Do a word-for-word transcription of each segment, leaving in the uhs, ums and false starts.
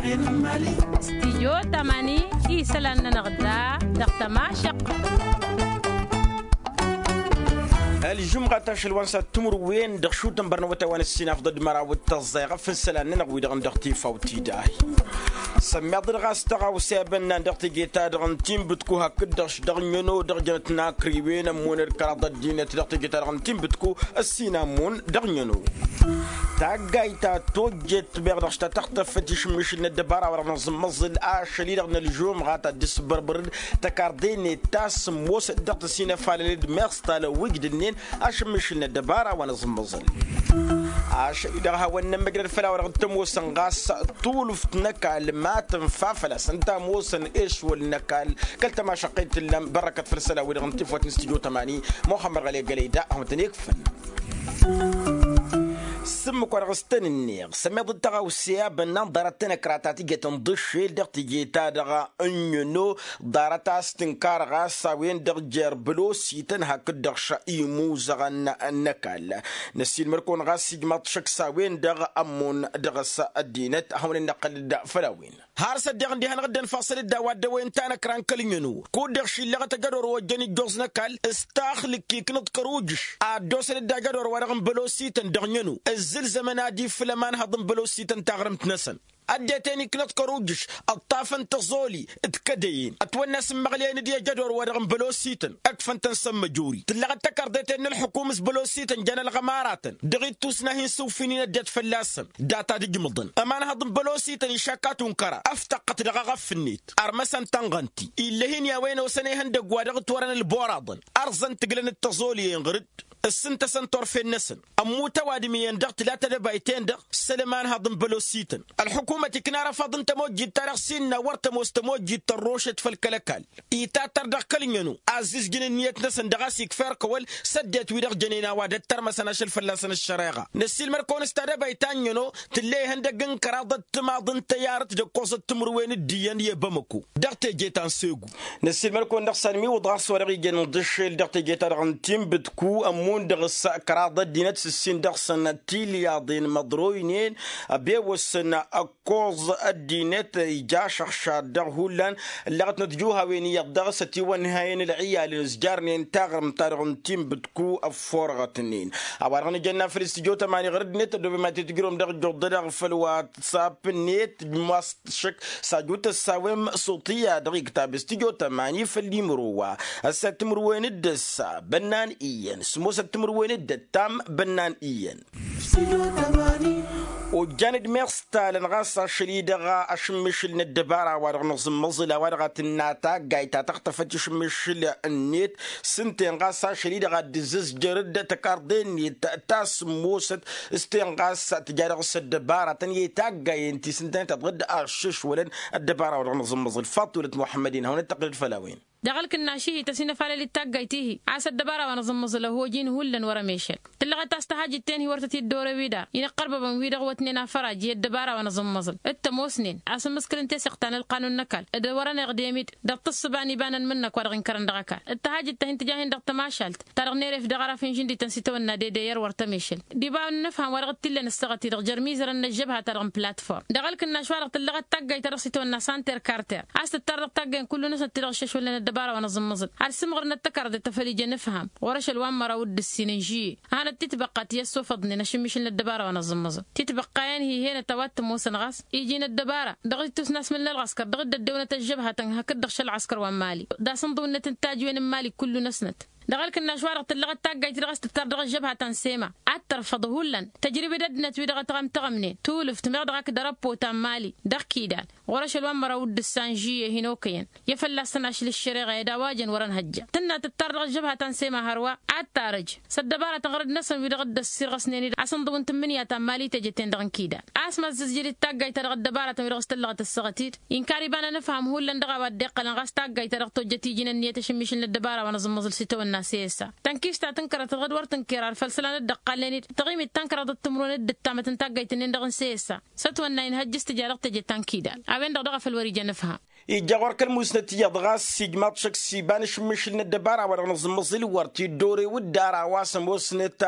Stijyo tamani isălan-nănăɣ da dăɣ-tămašăɣt. Ălžumɣat ašăl wa n-sat timǝrwen dăɣ-šutăn bărnăwătay wa n-ăssinafḍăd măraw d-tăẓẓayɣăf n-isălan-nănăɣ wi-dăɣ n-dăɣ-tifawt-i-dd ahi. Sămmiḍăd ɣas tăɣawse a bănnan dăɣ-teje-ta-dăɣ n-tinbǝtku hakd-dăɣ dăɣ-năno dăɣ-jănăt n-akriwen ămmunăd kăraḍ ăddinăt dăɣ-teje-ta-dăɣ n-tinbǝtku. Ăssin amun dăɣ-năno taggayt ta tojjet meɣ dăɣ-s ta tăɣtăfăt išǝmmišǝl n-ăddăbara wa dăɣ-năẓǝmmăẓǝl ašăl-i-dăɣ n-ălžumɣa ta dd-isbărbărăd tăkarḍe-net ta sǝmmosăt dăɣ-tăsinăfalălăd meɣ s-talăwwǝjt d-ǝnnin ašǝmmišǝl n-ăddăbara wa năẓǝmmăẓǝl. Ašăl-i-dăɣ a hawăn-nămmăjrăd făll-a-wa dăɣ-t-ămoosăn ɣas tulǝft n-ăkall ma tǝnfa făl-a-s ǝnta ămoosăn ešwăl n-ăkall. Kăl-tămašăqqet t-tǝllam bărrăkăt făll-isălan-wi-dăɣ n-tifwăt n-studyo tămani. Muxămmăd ɣăle gălăy da a hawăn-tăn-ikfăn. S-ǝmmǝk wa dăɣ-s tăn-ǝnneɣ sămmiḍăt tăɣawse a bănnan ḍarăt tanăkra ta tǝjăt ǝnḍǝššel dăɣ-teje-ta-dăɣ n-ănno ḍarăt a-s tǝnkar ɣas a-wen-dăɣ jer-bălosităn hakd-dăɣ šăimuzăɣăn n-ăkall. Năssiilmăd-kăwăn ɣas ijmaḍ šăkk s-a-wen-dăɣ ămmun dăɣ-s ăddinăt ad-hawăn-dd-năqqǝl-dd făll-a-wen. Har s-ăddeɣ ǝndiha n-iɣǝdden faṣǝl-dd a-wa dd-ăwwăyăn tanăkra n-kăl-ănno kud-dăɣ šillăɣăt ajădor wa ojjăn ijjoẓ n-ăkall s-taxlǝk iknăḍ kăr-ujǝš ad-dd-osăn-dd ajădor wa dăɣ-n bălosităn dăɣ-năno. Ǝzzǝlzămăn ad-iflăm anhăḍ n-bălosităn taɣrǝmt-năsăn ăddinăt-en iknăḍ kăr-ujǝš ǝṭṭafăn tăẓoli d-kădăyăn ătwănna a-s ǝmmăɣleyăn d-i ajădor wa dăɣ-n bălosităn. Ǝkfăn-tăn s-ămmăjori tǝllăɣăt takărḍet-en n-ălxukum s-bălosităn jan ălɣămaratăn dăɣ-ittus n-ahi n-sǝwfǝynin ăddinăt fălla-săn. Dat-ad-ǝjmǝḍăn ămanhăḍ n-bălosităn išakka tunkăra ăftăqqăt dăɣ-aɣăf-net. Armăsăn tănɣăn-t-i ill'-e-hin i-a-wen osăn ehăndăgg wa dăɣ-ǝtwărăn ălboraḍăn ărẓăn-t ǝglăn d-tăẓoli-en ɣǝr-dd ǝssǝntăsăn turfen-năsăn. Ămmut ăwadǝm iyyăn dăɣ-tǝla tadăbayt-en-dăɣ s-ălămanhăḍ n-bălosităn. Ălxukumăt ikna arăfaḍ n-tămojjit-ta-dăɣ s-innă wăr tămoos tămojjit tărrošet făll-kăl-ăkall itattăr dăɣ-kăl-năno. Azizjǝn ǝnniyăt-năsăn dăɣ-a-s ikfa erk awăl s-ăddinăt-wi-dăɣ jănen a-wa dd-tărmăsăn ašăl fălla-săn ăššăreɣa. Năssiilmăd-kăwăn s-tadăbayt ta n-năno tǝll'-e ihăndăgg n-kăraḍăt timaḍ n-tăyarăt d-ăkkoẓăt timǝrwen d-iyyăn i-bamăko. Dăɣ-teje ta n-segu. Năssiilmăd-kăwăn dăɣ-s anmiwǝḍ ɣas wa dăɣ-ijăn ǝnḍǝššel dăɣ-teje-ta-dăɣ n-tinbǝtku ămmun dăɣ-s kăraḍ ăddinăt s-ǝssin dăɣ-săn tilyaḍen măḍroynen. Ăbewăsăn ăkkoẓ ăddinăt ija ašăɣšad dăɣ-hullan. Ǝllăɣătnăt juhawen iyyăḍ dăɣ-s ătiwănhăyăn ǝlɣiyalăn ǝzjarnen taɣrǝmt-ta-dăɣ n-tinbǝtku ăfforăɣătnen. A-wa-dăɣ nǝjănna făll-studyo tămani ɣur-ăddinăt ăddooben ma t-tǝjrǝwăm dăɣ-ijjuḍ dăɣ-făll-wa t-sapp-net. Măs-t šăkk s-ajutăt s-a-wen s-uṭiyya dăɣ-iktăb studyo tămani făll-imro wa ăssat timǝrwen d-ăssa bănnan iyyăn s-ămoosăt timǝrwen d-ăttam bănnan iyyăn. Ojjan-dd meɣ s-talăn ɣas ašăl-i-dăɣ ašǝmmišǝl n-ăddăbara wa dăɣ-nǝẓǝmmăẓǝl a-wa dăɣ-a tǝnna taggayt ta tăɣtăfăt išǝmmišǝl-net s-ǝnta-en ɣas ašăl-i-dăɣ a dd-ǝzzǝzjărăd takarḍe-net ta sǝmmosăt s-ten ɣas tǝja dăɣ-s ăddăbaratăn i-taggayen ti s-ǝnta-en ta dăɣ-dd-aššăšwălăn. Ăddăbara wa dăɣ-nǝẓǝmmăẓǝl faḍt wălăt muḥămmăd-in hawăn-dd-tăqqǝlăd făll-a-wen. Dăɣ-ǝlkǝnnaš-i-hi tăsinăfalăl d-taggayt-i-hi a-s ăddăbara wa năẓǝmmăẓǝl ăhoj-in hullan wăr-ămešăl. Tǝllăɣăt a-s tăhajǝt-ten-hi wăr tăt-dd-orăw-dd a-inăqqărbăbăn wi-dăɣ wătnen afăraj i-ăddăbara wa năẓǝmmăẓǝl d-tămoosnen a-s ǝmmǝskǝlăn teseɣt ta n-ălqanun n-ăkall d-wăr-ăneɣdem-dd. Dăɣ-tǝssǝba n-iba n-ănmǝnnăk wa dăɣ-inkărăn dăɣ-ăkall d-tăhajǝt-tăhin tǝja-hin-dăɣ tămašalt ta dăɣ-neref dăɣ-araf n-žǝndităn s-itawănna dede i-ăr wăr tămešăl d-iba n-inǝfham wa dăɣ-t-illen ǝssăɣăt-i-dăɣ jer-imizărăn n-ăžžăbha-ta-dăɣ n-platform. Dăɣ-ǝlkǝnnaš-wa-dăɣ tǝllăɣăt taggayt ta dăɣ-s itawănna santer karter a-s tǝttar dăɣ-taggay n-kullu-năsnăt ti-dăɣ ǝššăšwălnen ăddăbara wa năẓǝmmăẓǝl. Ad-sǝmɣărnăt tăkarḍet ta făl ija inǝfham ɣur-ašăl wa n-măraw d-ǝssin n-žiyye a hanăt-titbăqqa ti ăssofăḍnen ašǝmmišǝl n-ăddăbara wa năẓǝmmăẓǝl. Titbăqqayen-hi henăt a-wa t-ămoosăn ɣas iji n-ăddăbara dăɣ-ittus n-asmǝl n-ălɣăskăr dăɣ-dd-ăddewănăt ăžžăbha-tăn hakd-dăɣ šălɣăskăr wa n-mali. Dăɣ-asǝnḍǝw-net n-tajwen n-imali kullu-năsnăt. Dăɣ-ǝlkǝnnaš-wa-dăɣ tǝllăɣăt taggayt-i-dăɣ a-s tǝttar dăɣ-ăžžăbha ta n-sema ad-tărfăḍ hullan tăjrǝbed ăddinăt-wi-dăɣ ătɣămtăɣămnen tulǝft meɣ dăɣ-ak d-arăppo ta n-mali. Dăɣ-kidal ɣur-ašăl wa n-măraw d-ǝssa n-žiyye hin-okăyăn i-fălla-s tăn-ašǝl ǝššăreɣa i-ad-awajăn wăr-ănhăjja tǝnna tǝttar dăɣ-ăžžăbha ta n-sema hărwa ad-tarăj s-ăddăbaratăn ɣărăd-năsăn wi-dăɣ dd-ăssirɣăsnen-dd asǝnḍǝw n-tǝmmǝnǝya ta n-mali tejăten dăɣ-n kidal. A-s măzzǝzjăd-dd taggayt-ta-dăɣ ăddăbaratăn wi-dăɣ s-tǝllăɣăt ăssaɣăt-dd inkar iba n-anǝfham hullan dăɣ-a-wa dd-iqqălăn ɣas taggayt-ta-dăɣ tojjăt iji n-ǝnniyăt ašǝmmišǝl n-ăddăbara wa năẓǝmmăẓǝl s-itawănna s-e-ăssa. Tănkist ta tǝnkărăt tăɣ-dd wăr tǝnker ar făll-isălan dd-ăqqalnen-dd tăɣimit tankăraḍăt timǝrwen d-ǝttamăt n-taggayt-ǝnnin-dăɣ n-s e-ăssa s-ătwănna inhăjj s-tǝja dăɣ-teje ta n-kidal. A-wen-dăɣ daɣ a făl wăr-ija anǝfham. Ijja ɣur-k ălmusnăt iyyăḍ ɣas ijmaḍ šăkk s-iba n-ašǝmmišǝl n-ăddăbara wa dăɣ-nǝẓǝmmăẓǝl wăr t-dd-ore wǝdda ara wa s-ămoosnăt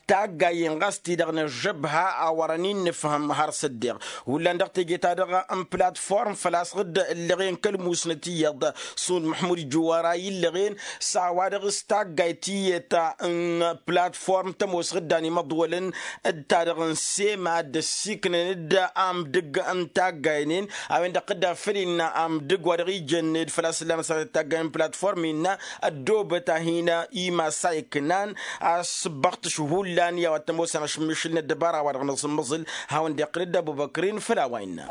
taggayen ɣas ti-dăɣ n-ăžžăbha a wărăn innǝfhǝm har s-ăddeɣ hullan dăɣ-teje-ta-dăɣ n-platform făl-a-s ɣǝdda ǝllăɣen kăl-musnăt iyyăḍ. Sund măḥmud juwara illăɣen s-a-wa-dăɣ s-taggayt iyyăt n-platform tămoos ɣǝddan imăḍwălăn d-ta-dăɣ n-sema dd-ăssiknăn-dd amdǝg n-taggaynen a-wen-dăɣ tădda făl innă amdǝg wa dăɣ-ijănned făl-a-s ǝllan ăssaɣăt taggay n-platform innă ăddoobăt a hin-ima s-a iknan. Asǝbbăɣtǝš hullan i-a-wa t-ămoosăn ašǝmmišǝl n-ăddăbara wa dăɣ-nǝẓǝmmăẓǝl hawăn-dd-iqqǝl dd-ăbubăkrin făll-a-wa innă.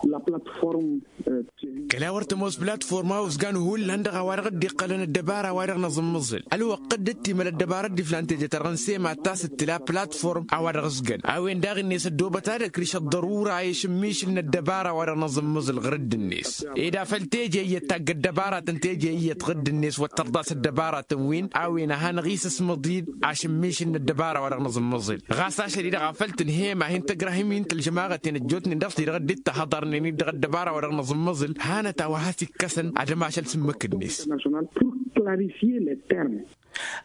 Kăla wăr tămoos platform a uzgan hullan dăɣ-a-wa-dăɣ dd-iqqălăn ăddăbara wa dăɣ-nǝẓǝmmǝẓǝl ălwăqq dd-ǝttimăl ăddăbara dd-iflan teje-ta-dăɣ n-sema ta s-ǝttǝla platform a-wa dăɣ-ǝzgăn a-wen daɣ-net ăddoobăt ad-ăkrǝš ăḍḍărura i-ašǝmmišǝl n-ăddăbara wa dăɣ-nǝẓǝmmǝẓǝl ɣur-dd-net. Ed afăl teje iyyăt tagg ăddăbaratăn teje iyyăt ɣǝdd-net wăr tărḍas ăddăbaratăn-win a-wen a hanăɣ-isǝsmăḍ-dd ašǝmmišǝl n-ăddăbara wa dăɣ-nǝẓǝmmǝẓǝl. Ɣas ašăl-i-dăɣ a făl tǝnhăyăm a hin-tăgrahǝm-in tălžămaɣăten ăjjootnen dăɣ-s-i-dăɣ dd-tahăḍărnen-dd dăɣ-ăddăbara wa dăɣ-nǝẓǝmmǝẓǝl. Hanăt a-wa has-ikkăsăn ad-ămašăl s-ǝmmǝk-net.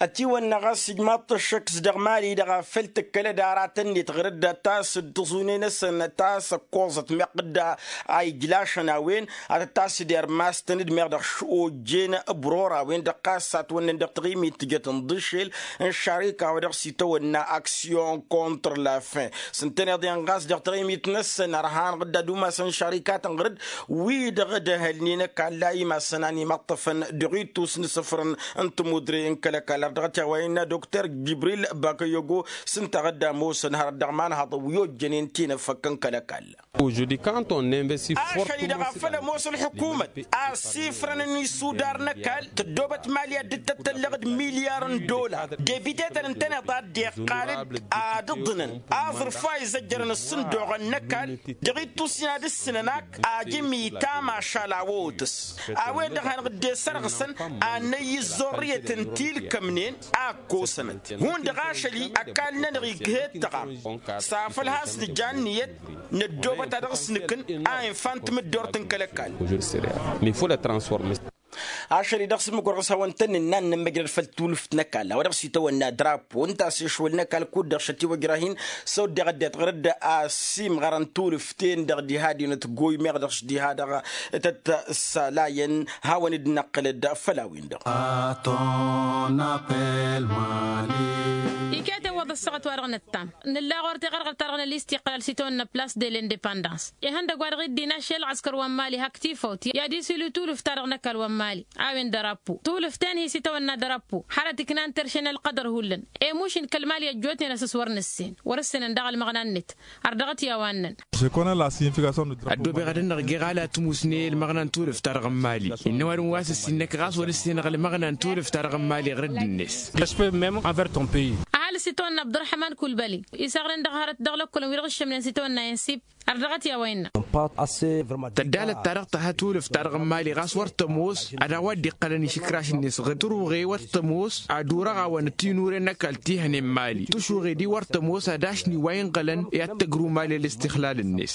Ătiwănna ɣas ijmaḍ-t ăššăk s-dăɣ mali-dăɣ a făl tǝkkălăd aratăn-net ɣur-dd ad-tasǝd tǝẓune-năsăn ad-tasăkkoẓăt meɣ dd-a ijlašăn a-wen ad-tăt-tasǝd irmastăn-dd meɣ dăɣ-s ojjen ăbror a-wen-dăɣ ɣas s-atwănnăn dăɣ-taɣimit tǝjăt n-iḍǝššel n-šarika wa dăɣ-s itawănna aksyon kontr la fin. S-ǝntăneḍ iyyăn ɣas dăɣ-taɣimit-năsăn ărhan ɣǝdda d-umasăn šarikatăn ɣur-dd wi-dăɣ dd-ăhălnen ăkall a imasăn a n-imăṭṭăfăn dăɣ-ittus n-isǝfrăn n-tămudre n-kăl-ăkall ardăɣăt i-a-wa innă dokter jibril bakăyogo. S-ǝnta ɣǝdda ămoosăn hărăt dăɣ-imanhăḍăn wi ojjănen tinăfăk n-kăl-ăkall. Ašăl-i-dăɣ a făl ămoos ălḥukumăt a ăssifrănăn isudar n-ăkall tăddoobăt mali ad-dd-tăt-tăllăɣ d-milyar n-dolar. Debitetăn ǝntăneḍ a dd-iqqal-dd ad-ǝḍnăn aẓrǝf wa izăjjărăn ǝssǝndoɣăn n-ăkall dăɣ-ittus-in ad-ǝssǝnăn ak ajǝm itama ašal a wăwătăs. A-wen-dăɣ hanăɣ-dd-e-sărɣǝsăn ad-năyy ǝzzorrǝyăt n-tilkămnen a ăkkosănăt hundăɣ ašăl-i ăkall-nănăɣ ighet tăɣam. S-afăl has-nǝja ǝnniyăt năddoobăt ad-dăɣ-s nǝkǝn a infa n-tamǝddort n-kăl-ăkall. Ašăl-i dăɣ-s ǝmmǝk wăr ɣas hawăn-tăn-nǝnna ad-nǝmmăjrăd făll-tulǝft n-ăkall a-wa dăɣ-s itawănna drapo ǝnta a-s ešwăl n-ăkall kud-dăɣ šătiwăjrah-in s-awăddeɣ ăddinăt ɣur-dd a ăsimɣărăn tulǝft-ten-dăɣ diha d-inătgoy meɣ dăɣ-s diha-dăɣ tăt-ăssalayăn. Hawăn-dd-năqqǝlăd făll-a-wen-dăɣ. Iket iwwăḍ ăssaɣăt-wa-dăɣ nǝttam nǝlla ɣur-teɣărɣărt-ta-dăɣ n-ălistiqlal s-itawănna plas de l-indepandans. Ihăndăgg wa dăɣ-iddin ašăl ɣas kăr-wa n-mali hak tifawt i-ad-isilu tulǝft-ta-dăɣ n-ăkall wa n-mali a-wen dărapo tulǝft-en hi-s itawănna dărapo. Hărăt iknan terše n-ălqădăr hullan emušin kăl-mali ăjjootnen a-s s-wăr nǝssen wăr-ǝssenăn daɣ ălmăɣna-net. Ărdăɣăt i-a-wa ǝnnăn. Ăddoobeɣ ad-ănnăɣ geɣ ala tǝmusne ălmăɣna n-tulǝft-ta-dăɣ n-mali. Innă ăwadǝm wa s-ǝssin năkk ɣas wăr-ǝssenăɣ ălmăɣna n-tulǝft-ta-dăɣ n-mali ɣur-dd-net. Ăhalǝs itawănna abdurăhman kulbăli isăɣrăn dăɣ-hărăt dăɣ-lăkkolăn wi-dăɣ ǝššămnen s-itawănna insib. Ărdăɣăt i-a-wa innă. Tăddalăt ta dăɣ-tăha tulǝft-ta-dăɣ n-mali ɣas wăr tămoos ad-a-wa dd-iqqălăn išǝkraš-net ɣǝd tăruɣe wăr tămoos ad-urăɣ-awăn tinure n-ăkall ti hănen mali tăšuɣe-di wăr tămoos ad-ašni wa inɣălăn i-ad-tăgru mali ălistixlal-net.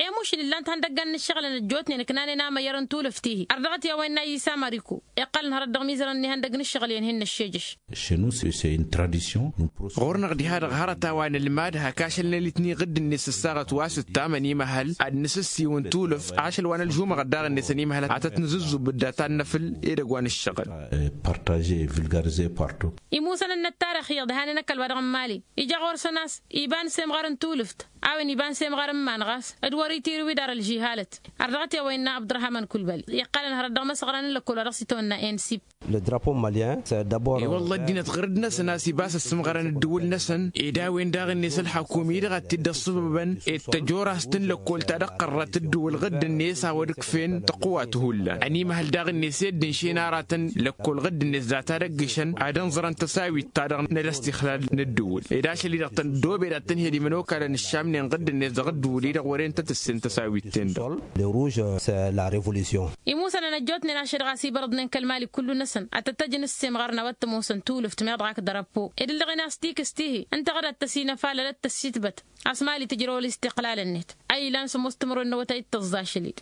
Emušǝl ǝllan-t ihăndăggan n-ǝššăɣǝlăn ăjjootnen ǝknanen amăyyăr n-tulǝft-ihi ărdăɣăt i-a-wa innă a isa mariko. Iqqălăn hărăt dăɣ-imizărăn n-ihăndăgg n-ǝššăɣǝl i-ănhǝy n-ăššejăš. Ɣur-năɣ diha-dăɣ hărăt a-wa nǝlmad hak ašăl n-alitni ɣǝdd-net s-ăssaɣăt wa s-ǝttam ănimăhăl ad-nǝsǝssiwǝn tulǝft ašăl wa n-ălžumăɣăt daɣ-net ănimăhăl ad-tăt-nǝzǝzzub dd-ad-tannăfǝl edăgg wa n-ǝššăɣǝl. Imusăn n-ăttarix iyyăḍ hanen ăkall wa dăɣ-n mali ija ɣur-săn a-s iba n-semɣar n-tulǝft. A-wen iba n-semɣar n-iman ɣas d-wăr-itirǝw idar ălžihalăt. Ărdăɣăt i-a-wa innă abdurăhman kulbăl iqqălăn hărăt dăɣ-imăsɣăran n-lăkkol wa dăɣ-s itawănna ensib. I-wălla ăddinăt ɣur-dd-năsăn a-s ibas ăssǝmɣărăn ǝddǝwǝl-năsăn ed a-wen daɣ-net ălxăkum-i-dăɣ a t-dd-ăṣṣăbăbăn ed tăjorast n-lăkkol ta dăɣ-tărrăt ǝddǝwǝl ɣǝdd-net a-wa d-ǝkfen tăqwat hullan ănimăhăl daɣ-net i-dd-ǝnšen aratăn lăkkol ɣǝdd-net data dăgg-išăn ad-ănẓărăn tăsawit-ta-dăɣ n-ălăstixlal n-ǝddǝwǝl ed ašăl-i-dăɣ tăndoobed ad-tǝnhed imănokalăn ǝššamnen ɣǝdd-net dăɣ-ǝddǝwǝl-i-dăɣ wăren tăt-ǝssen tăsawit-ten-dăɣ. Imusănăn ăjjootnen ašăl ɣas ibărăḍnen kăl-mali kullu-năsăn ad-tăt-tăjǝn ǝssemɣarăn a-wa t-ămoosăn tulǝft meɣ dăɣ-ak dăr-ăppo ed ǝllăɣen a-s tikǝst-ihi ǝnta ɣǝd ad-tăsinăfalăl ad-tăssitbăt. A-s mali tǝjrăw ălistăqlal-net a ilan s-ămoos timărwen n-awătay d-tăẓẓa ašăl-i-dd.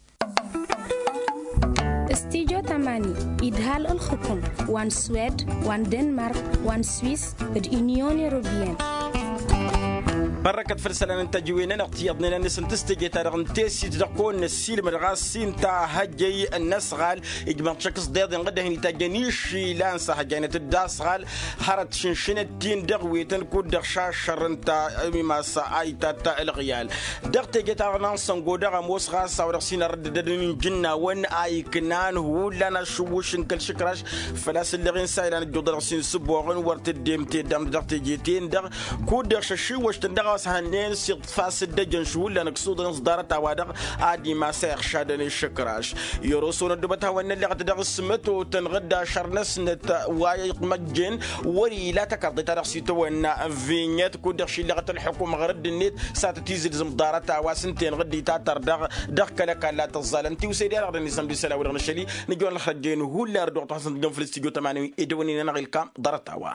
Mani idhal ǝlxǝkǝm wa n-swed wa n-denmark wa n-swis d-inyon europiyăn. Bărrăkăt făll-isălan n-tăjǝwen-nănăɣ tiyyăḍnen a-năsăn tǝstăje-ta-dăɣ n-tesit dăɣ-kăwăn-năssiilmăd ɣas s-inta hăjjăy n-asɣal ijmăḍ šăkk s-deḍen ɣǝddăhăn itajjăn išilan s-ahăjjaynăt-dd asɣal. Hărăt šǝnšǝnăt-in dăɣ-wetăn kud-dăɣ šašăr ǝnta imas a itat ǝlɣǝyal. Dăɣ-teje-ta-dăɣ n-ansăngo dăɣ-ămoos ɣas a-wa dăɣ-s hin-ărrăddădăn n-ijǝnnawăn a iknan hullan ašǝwwǝš n-kăl-išǝkraš. Făl-a-s ǝlleɣ-in s-a ilan ăjjuḍălăɣ s-insǝboɣăn wăr tǝddem teddamnăt dăɣ-teje-ten-dăɣ kud-dăɣ šăššiwwăš-tăn dăɣ-a-wa s-hănnen s-iḍfa s-dd-ăjăn šǝwǝllan ǝksuḍăn s-ḍarăt-a-wa-dăɣ ad-imas a iɣšadăn išǝkraš. I-oroson ăddoobăt hawăn-nălleɣăt dăɣ-s mătotăn ɣǝdda ašăr-năsnăt wa iqmăjjen. Wăr-ila tăkarḍe-ta-dăɣ s-itawănna vinyăt kud-dăɣ šilleɣăt ălḥukum ɣur-dd-net s-ad-tăt-izǝlzǝm ḍarăt-a-wa s-ǝnta-en ɣǝddǝy ta tărdăɣ. Dăɣ-kăl-ăkall a tăẓẓalăn tiwse-di-a-dăɣ dăr-nisăn d-isălan-wi-dăɣ n-ašăl-i nǝjăwăn ălxăjjăyăn hullan ărdăɣ-tăn-săn tǝjjăn făll-s tijot ămanăwin edăwănen-anăɣ ilkam ḍarăt-a-wa.